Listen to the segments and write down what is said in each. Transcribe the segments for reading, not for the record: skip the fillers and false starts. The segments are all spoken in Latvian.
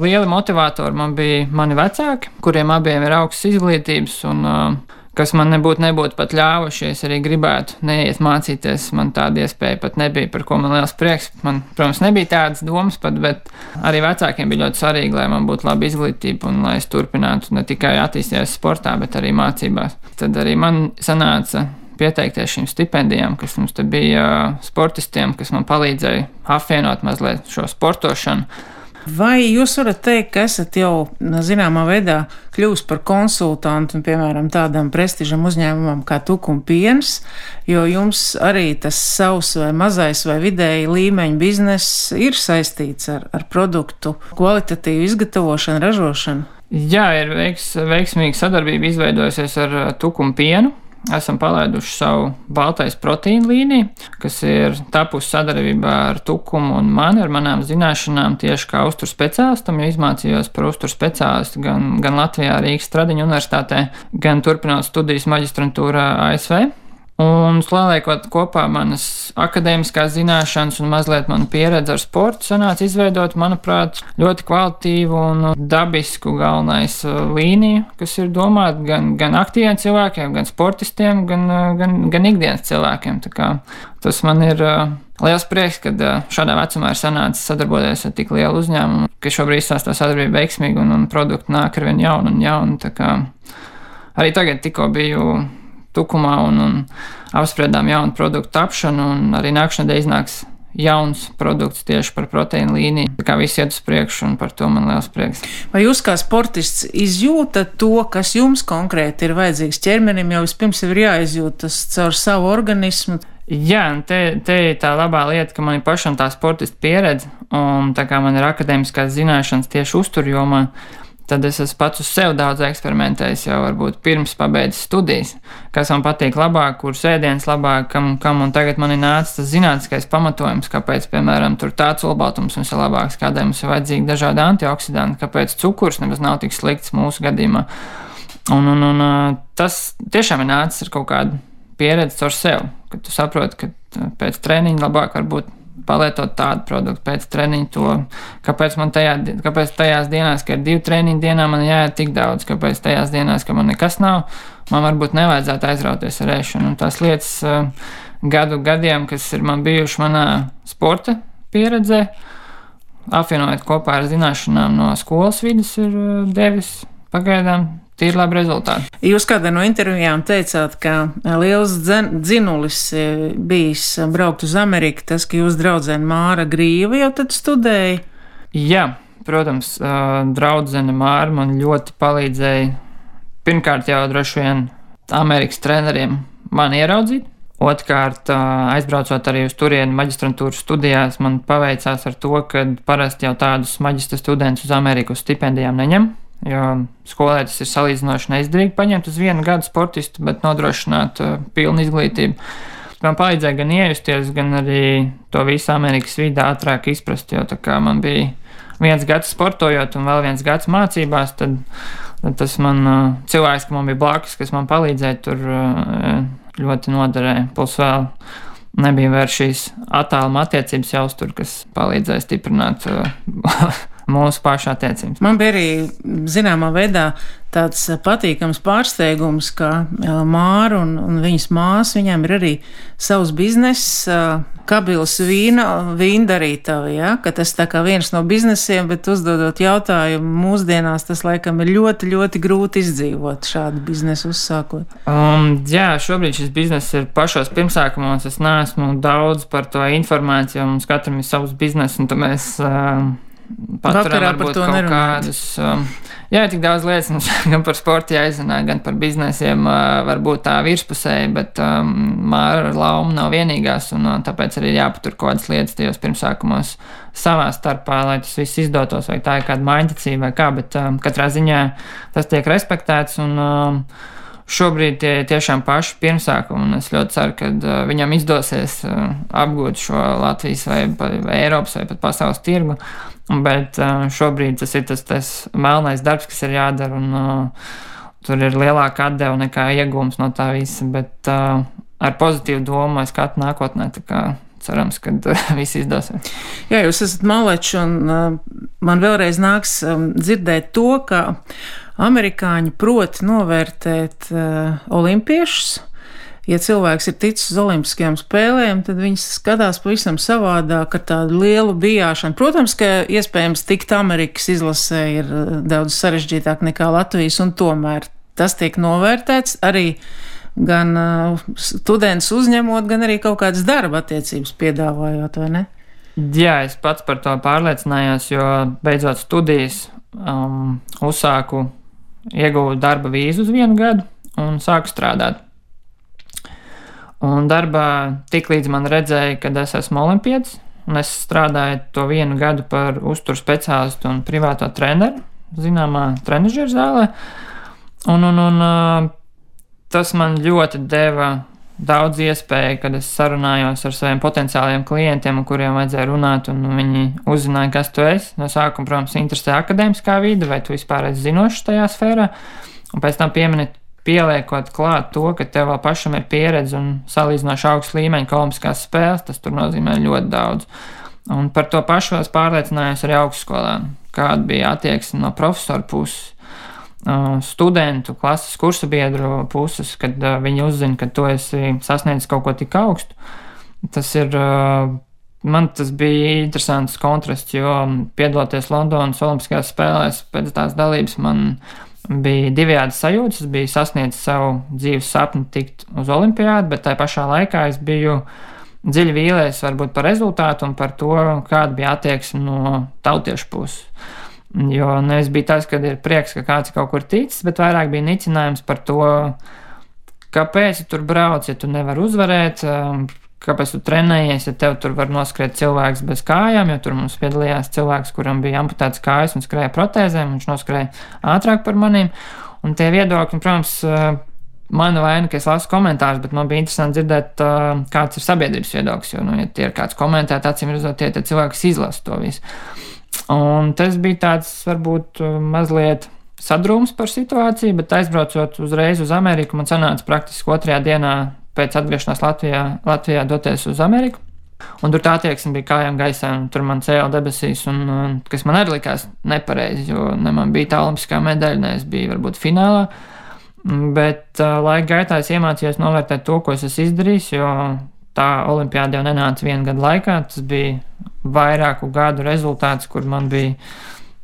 Lieli motivatori man bija mani vecāki, kuriem abiem ir augstas izglītības, un kas man nebūtu pat ļāvuši, ja es arī gribētu neiet mācīties. Man tāda iespēja pat nebija, par ko man liels prieks. Man, protams, nebija tādas domas pat, bet arī vecākiem bija ļoti svarīgi, lai man būtu laba izglītība un lai es turpinātu ne tikai attīstīties sportā, bet arī mācībās. Tad arī man sanāca pieteikties šīm stipendijām, kas mums te bija sportistiem, kas man palīdzēja apvienot mazliet šo sportošanu. Vai jūs varat teikt, ka esat jau zināmā veidā kļuvis par konsultantu, piemēram, tādam prestižam uzņēmumam kā Tukuma piens, jo jums arī tas savs vai mazais vai vidēji līmeņa bizness ir saistīts ar produktu kvalitatīvu izgatavošanu, ražošanu? Jā, ir veiksmīga sadarbība izveidojusies ar Tukuma pienu. Esam palaiduši savu baltais proteīnu līniju, kas ir tapusi sadarbībā ar Tukumu un mani, ar manām zināšanām tieši kā uzturu speciālistam, jo izmācījos par uzturu speciālistu gan Latvijā, Rīgas Stradiņu universitātē, gan turpinot studijas maģistrantūrā ASV. Un saliekot kopā manas akadēmiskās zināšanas un mazliet manu pieredzi ar sportu, sanāca izveidot, manuprāt, ļoti kvalitatīvu un dabisku galvenais līniju, kas ir domāta gan aktīviem cilvēkiem, gan sportistiem, gan ikdienas cilvēkiem. Tā kā tas man ir liels prieks, ka šādā vecumā ir sanācis sadarboties ar tik lielu uzņēmumu, ka šobrīd izstāstā sadarbība veiksmīgi un produkti nāk ar vien jaunu un jaunu. Tā kā arī tagad tikko biju Tukumā un apspriedām jaunu produktu tapšanu, un arī nākamā nedēļa iznāks jauns produkts tieši par proteīnu līniju. Tā kā viss iet uz priekšu, un par to man liels prieks. Vai jūs kā sportists izjūtat to, kas jums konkrēti ir vajadzīgs ķermenim, jo vispirms ir jāizjūt tas caur savu organismu? Jā, un te ir tā labā lieta, ka man ir pašam tā sportista pieredze, un tā kā man ir akadēmiskās zināšanas tieši uzturjomā, tad es esmu pats uz sevi daudz eksperimentējis jau varbūt pirms pabeidzis studijas, kas man patīk labāk, kuras ēdienas labāk, kam un tagad man ir nācis tas zinātniskais pamatojums, kāpēc, piemēram, tur tāds olbaltums mums ir labāks, kādēļ mums ir vajadzīgi dažādi antioksidanti, kāpēc cukurs nemaz nav tik slikts mūsu gadījumā. Un tas tiešām ir nācis ar kaut kādu pieredzi caur sevi, kad tu saproti, ka pēc treniņa labāk varbūt palietot tādu produktu pēc treniņa to, kāpēc tajās dienās, ka ir 2 treniņu dienā, man jāiet tik daudz, kāpēc tajās dienās, ka man nekas nav, man varbūt nevajadzētu aizrauties ar ēšanu. Un tās lietas gadiem, kas ir man bijuši manā sporta pieredzē, apvienojot kopā ar zināšanām no skolas vidas, ir devis pagaidām tīri labi rezultāti. Jūs kādā no intervijām teicāt, ka liels dzinulis bijis braukt uz Ameriku, tas, ka jūs draudzene Māra Grīva jau tad studēja? Jā, protams, draudzene Māra man ļoti palīdzēja. Pirmkārt jau droši vien Amerikas treneriem man ieraudzīt. Otrkārt, aizbraucot arī uz turieni maģistrantūras studijās, man paveicās ar to, ka parasti jau tādus maģistra studentus uz Ameriku uz stipendijām neņem. Jo skolē tas ir salīdzinoši neizdevīgi paņemt uz 1 gadu sportistu, bet nodrošināt pilnu izglītību. Man palīdzēja gan iejusties, gan arī to visu Amerikas vidi ātrāk izprast, jo tā kā man bija 1 gads sportojot un vēl 1 gads mācībās, tad tas man cilvēks, ka man bija blakus, kas man palīdzēja, tur ļoti noderēja. Plus vēl nebija vairs šīs attāluma attiecības jāuztur, kas palīdzēja stiprināt mūsu pašu attiecības. Man bija arī zināmā veidā tāds patīkams pārsteigums, ka Māra un viņas māsa, viņām ir arī savs bizness, Kabils vīndarītava, ja? Ka tas tā kā viens no biznesiem, bet uzdodot jautājumu, mūsdienās tas laikam ir ļoti, ļoti grūti izdzīvot šādu biznesu uzsākot. Jā, šobrīd šis bizness ir pašos pirmsākumos, es neesmu daudz par to informāciju, jo mums katram ir savs biznes, un tad mēs paturam varbūt kaut kādus. Jā, tik daudz lietas mums gan par sportu jāizrunā, gan par biznesiem varbūt tā virspusēji, bet Māra Lauma nav vienīgās, un tāpēc arī jāpatur kaut kādas lietas tajos pirmsākumos savā starpā, lai tas viss izdotos, vai tā ir kāda maiņticība vai kā, bet katrā ziņā tas tiek respektēts, un šobrīd tie tiešām paši pirmsākumi, un es ļoti ceru, ka viņam izdosies apgūt šo Latvijas vai Eiropas vai pat pasaules tirgu. Bet šobrīd tas ir tas melnais darbs, kas ir jādara, un tur ir lielāka atdeva nekā iegūms no tā visa, bet ar pozitīvu domu es skatu nākotnē, tā kā cerams, ka viss izdosies. Jā, jūs esat malečs, un man vēlreiz nāks dzirdēt to, ka amerikāņi prot novērtēt olimpiešus. Ja cilvēks ir ticis uz olimpiskajām spēlēm, tad viņi skatās pavisam savādāk ar tādu lielu bijāšanu. Protams, ka iespējams tikt Amerikas izlasē ir daudz sarežģītāk nekā Latvijas, un tomēr tas tiek novērtēts arī gan students uzņemot, gan arī kaut kādas darba attiecības piedāvājot, vai ne? Jā, es pats par to pārliecinājos, jo beidzot studijas ieguvu darba vīzu uz 1 gadu un sāku strādāt. Un darbā tik līdz man redzēja, kad es esmu olimpietis, un es strādāju to 1 gadu par uzturu speciālistu un privāto treneru zināmā trenažieru zālē. Un tas man ļoti deva daudz iespēju, kad es sarunājos ar saviem potenciāliem klientiem, ar kuriem vajadzēja runāt, un viņi uzzināja, kas tu esi. No sākuma, protams, interesē akadēmiskā vide, vai tu vispār esi zinošs tajā sfērā, un pēc tam pieliekot klāt to, ka tev vēl pašam ir pieredze un salīdzinoši augsts līmeņa olimpiskās spēles, tas tur nozīmē ļoti daudz. Un par to pašu es pārliecinājos arī augstskolā, kāda bija attieksme no profesoru puses, studentu, klases kursabiedru puses, kad viņi uzzina, ka tu esi sasniedzis kaut ko tik augstu. Man tas bija interesants kontrasts, jo piedaloties Londonas olimpiskajās spēlēs pēc tās dalības man bija divējādas sajūtas. Es biju sasniedzis savu dzīves sapni tikt uz olimpiādu, bet tajā pašā laikā es biju dziļi vīlies varbūt par rezultātu un par to, kāda bija attieksme no tautiešu puses. Jo nevis bija tas, kad ir prieks, ka kāds kaut kur ticis, bet vairāk bija nicinājums par to, kāpēc tu tur brauc, ja tu nevari uzvarēt, kāpēc tu trenējies, ja tev tur var noskriet cilvēks bez kājām, jo tur mums piedalījās cilvēks, kuram bija amputēts kājas un skrēja protēzēm, viņš noskrēja ātrāk par maniem. Un tie viedokļi, protams, mana vaina, ka es lasu komentārus, bet man bija interesanti dzirdēt, kāds ir sabiedrības viedoklis, jo, ja tie ir kāds komentēt, acīm redzot, tie cilvēks izlasa to visu. Un tas bija tāds, varbūt, mazliet sadrūms par situāciju, bet aizbraucot uzreiz uz Ameriku, man sanāca praktiski 2. dienā pēc atgriešanās Latvijā doties uz Ameriku. Un tur tā attieksme bija kājām gaisā, un tur man cēla debesīs, un kas man arī likās nepareizi, jo ne man bija tā olimpiskā medaļa, ne es biju varbūt finālā. Bet laika gaitā es iemācījos novērtēt to, ko es esmu izdarījis, jo tā olimpiāda jau nenāca 1 gadu laikā. Tas bija vairāku gadu rezultāts, kur man bija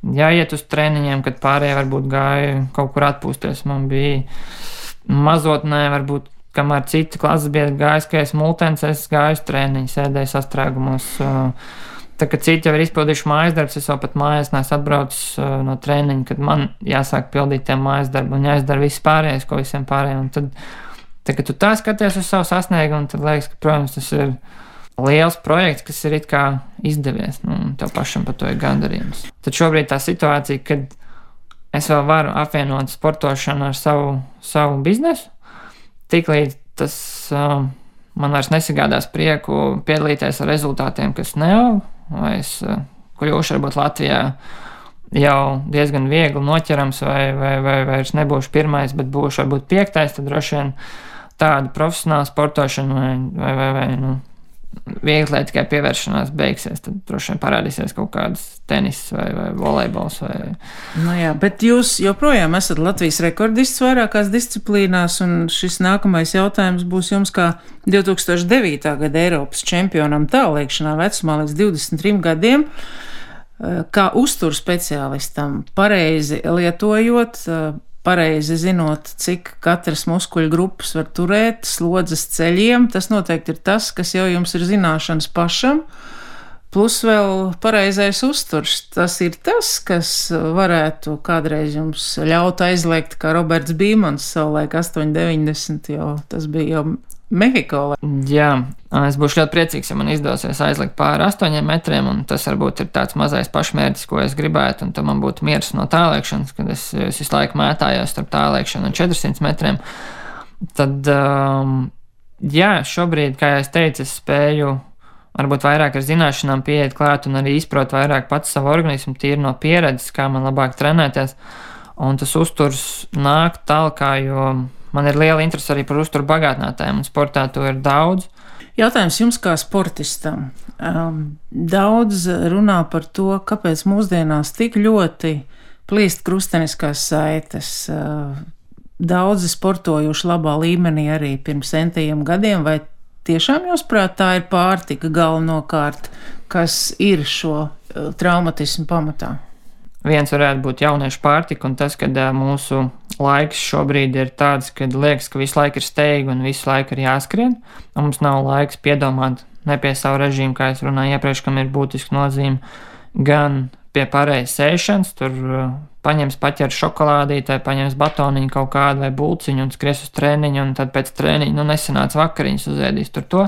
jāiet uz treniņiem, kad pārējie varbūt gāja kaut kur atpūsties. Man bija mazotnē, varbūt, kamēr citi klases biedri gāja skriet multens, es gāju uz treniņu, sēdēju sastrēgumos. Tā kā citi jau ir izpildījuši mājas darbus, es jau pat mājās neesmu atbraucis no treniņa, kad man jāsāk pildīt tie mājas darbi un jāizdara viss pārējais, ko visiem pārējiem. Un tad, kad tu tā skaties uz savu sasniegumu, tad liekas, ka, protams, tas ir liels projekts, kas ir it kā izdevies, un tev pašam par to ir gandarījums. Tad šobrīd tā situācija, kad es vēl varu apvienot sportošanu ar savu biznesu, tiklīdz tas man vairs nesagādās prieku piedalīties ar rezultātiem, kas neaug, vai es kļūšu varbūt Latvijā jau diezgan viegli noķerams, vai vairs nebūšu 1, bet būšu varbūt 5, tad droši vien tāda profesionāla sportošana vai viegli tikai pievēršanās beigsies, tad droši vien parādīsies kaut kādas tenis vai volejbols. Nu jā, bet jūs joprojām esat Latvijas rekordists vairākās disciplīnās, un šis nākamais jautājums būs jums kā 2009. Gada Eiropas čempionam tālliekšanā vecumā līdz 23 gadiem, kā uzturu speciālistam, pareizi lietojot, pareizi zinot, cik katras muskuļu grupas var turēt, slodzes ceļiem. Tas noteikti ir tas, kas jau jums ir zināšanas pašam, plus vēl pareizais uzturs. Tas ir tas, kas varētu kādreiz jums ļaut aizliegt, kā Roberts Bīmans savulaik 8,90, jo tas bija jau Mehiko. Jā, es būšu ļoti priecīgs, ja man izdosies aizlikt pāri 8 metriem, un tas varbūt ir tāds mazais pašmērķis, ko es gribētu, un tad man būtu miers no tālliekšanas, kad es visu laiku mētājos starp tālliekšanu un 400 metriem. Tad, jā, šobrīd, kā es teicu, es spēju varbūt vairāk ar zināšanām pieiet klāt un arī izprot vairāk pats savu organismu, tīri no pieredzes, kā man labāk trenēties, un tas uzturs nāk tālāk, jo man ir liela interese arī par uzturu bagātinātājiem, un sportā to ir daudz. Jautājums jums kā sportistam. Daudz runā par to, kāpēc mūsdienās tik ļoti plīst krusteniskās saites. Daudzi sportojuši labā līmenī arī pirms centiem gadiem, vai tiešām jūs prāt tā ir pārtika galvenokārt, kas ir šo traumatismu pamatā? Viens varētu būt jauniešu pārtika, un tas, kad mūsu laiks šobrīd ir tāds, kad liekas, ka visu laiku ir steigta un visu laiku ir jāskrien, un mums nav laiks piedomāt ne pie savu režīmu, kā es runāju iepriekš, kam ir būtiska nozīme, gan pie pareizas ēšanas, tur paņems paķer šokolādītē, paņems batoniņu kaut kādu vai bulciņu un skries uz treniņu, un tad pēc treniņa, nesanāca vakariņas uzēdīs tur to,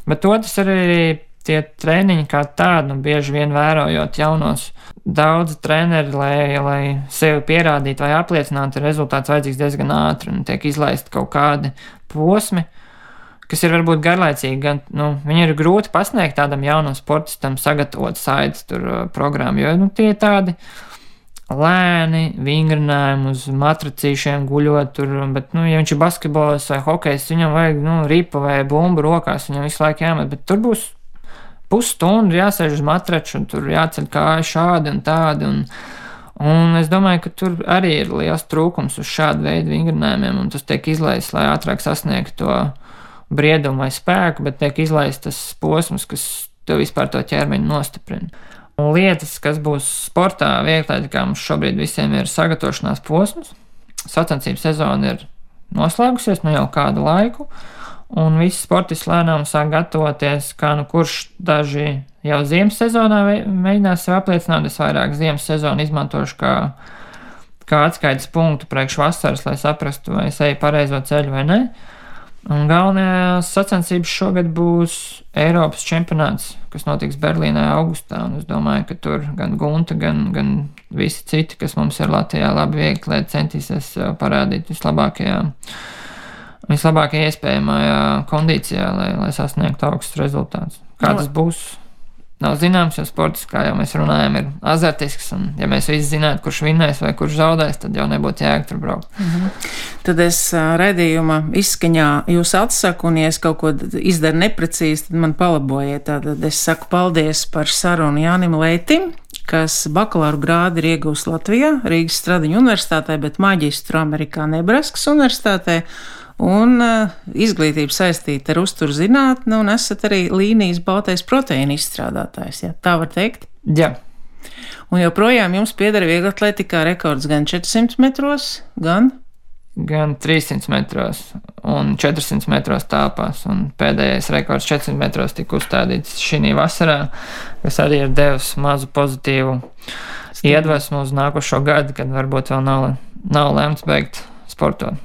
bet otrs arī tie treniņi kā tādi, bieži vien vērojot jaunos, daudzi treneri, lai sevi pierādītu vai apliecinātu, ir rezultāts vajadzīgs diezgan ātri un tiek izlaisti kaut kādi posmi, kas ir varbūt garlaicīgi, gan, viņi ir grūti pasniegt tādam jaunam sportistam sagatavot saites programmu, jo, tie ir tādi lēni, vingrinājumi uz matracīšiem guļot tur, bet, ja viņš ir basketbols vai hokejs, viņam vajag, ripa vai bumbu rokās, viņam visu laiku jāmet, bet tur būs pusstundu jāsēž uz matraču, un tur jāceļ kāju šādi un tādi, un es domāju, ka tur arī ir liels trūkums uz šādu veidu vingrinājumiem, un tas tiek izlaists, lai ātrāk sasniegtu to briedumu vai spēku, bet tiek izlaists tas posms, kas tev vispār to ķermeņu nostiprina. Un lietas, kas būs sportā, vieglatlētikā mums šobrīd visiem ir sagatavošanās posms, sacensību sezona ir noslēgusies jau kādu laiku, un visi sportisti lēnām sāk gatavoties, kā kurš daži jau ziemas sezonā mēģinās sev apliecināt, es vairāk ziemas sezonu izmantošu kā atskaites punktu priekš vasaras, lai saprastu, vai es eju pareizo ceļu vai ne. Un galvenajās sacensības šogad būs Eiropas čempionāts, kas notiks Berlīnē augustā, un es domāju, ka tur gan Gunta, gan visi citi, kas mums ir Latvijā labi vieglatlēti, centīsies parādīt vislabākajā iespējamajā kondīcijā, lai sasniegtu augstus rezultātus. Kā tas būs, nav zināms, jo sports, kā jau mēs runājam, ir azartisks, un ja mēs visi zinātu, kurš vinnēs vai kurš zaudēs, tad jau nebūtu jēga tur braukt. Tad es raidījuma izskaņā jūs atsaku, un ja es kaut ko izdaru neprecīzi, tad man palabojiet. Tātad es saku paldies par sarunu Jānim Leitim, kas bakalaura grādu ir iegūst Latvijā, Rīgas Stradiņu universitātē, bet maģistru Amerikā Nebraskas universitātē, un izglītība saistīta ar uzturzinātni, un esat arī līnijas baltais proteīna izstrādātājs, ja? Tā var teikt? Jā. Un joprojām jums pieder vieglatlētikā rekords gan 400 metros, gan 300 metros un 400 metros tāpās, un pēdējais rekords 400 metros tika uzstādīts šī vasarā, kas arī ir devis mazu pozitīvu iedvesmu uz nākošo gadu, kad varbūt vēl nav lemts beigt sportot.